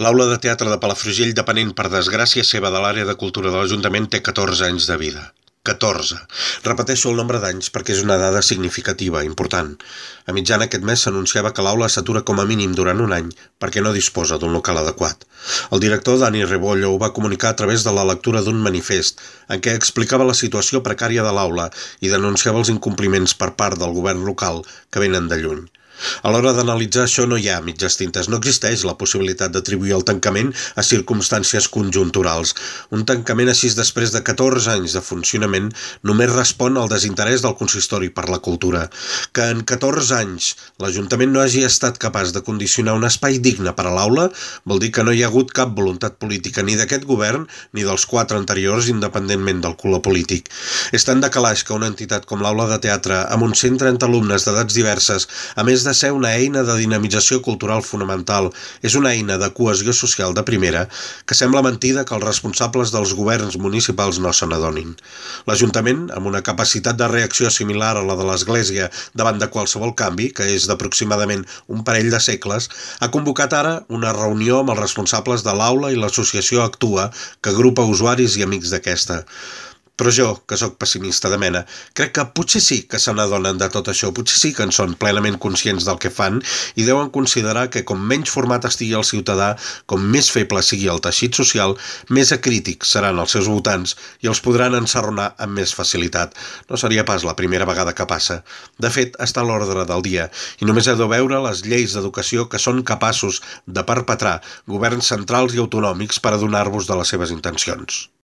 L'aula de teatre de Palafrugell, depenent per desgràcia seva de l'àrea de cultura de l'Ajuntament, té 14 anys de vida. 14. Repeteixo el nombre d'anys perquè és una dada significativa, important. A mitjana aquest mes s'anunciava que l'aula s'atura com a mínim durant un any perquè no disposa d'un local adequat. El director Dani Rebollo ho va comunicar a través de la lectura d'un manifest en què explicava la situació precària de l'aula i denunciava els incompliments per part del govern local que venen de lluny. A l'hora d'analitzar això no hi ha mitges tintes, no existeix la possibilitat d'atribuir el tancament a circumstàncies conjunturals. Un tancament així després de 14 anys de funcionament només respon al desinterès del consistori per la cultura. Que en 14 anys l'Ajuntament no hagi estat capaç de condicionar un espai digne per a l'aula vol dir que no hi ha hagut cap voluntat política ni d'aquest govern ni dels 4 anteriors independentment del color polític. És tan de calaix que una entitat com l'Aula de Teatre amb uns 130 alumnes d'edats diverses, a més de ser una eina de dinamització cultural fonamental, és una eina de cohesió social de primera, que sembla mentida que els responsables dels governs municipals no se n'adonin. L'Ajuntament, amb una capacitat de reacció similar a la de l'Església davant de qualsevol canvi, que és d'aproximadament un parell de segles, ha convocat ara una reunió amb els responsables de l'aula i l'associació Actua, que agrupa usuaris i amics d'aquesta. Però jo, que sóc pessimista de mena, crec que potser sí que se n'adonen de tot això, potser sí que en són plenament conscients del que fan i deuen considerar que com menys format estigui el ciutadà, com més feble sigui el teixit social, més acrítics seran els seus votants i els podran ensarronar amb més facilitat. No seria pas la primera vegada que passa. De fet, està a l'ordre del dia i només heu de veure les lleis d'educació que són capaços de perpetrar governs centrals i autonòmics per adonar-vos de les seves intencions.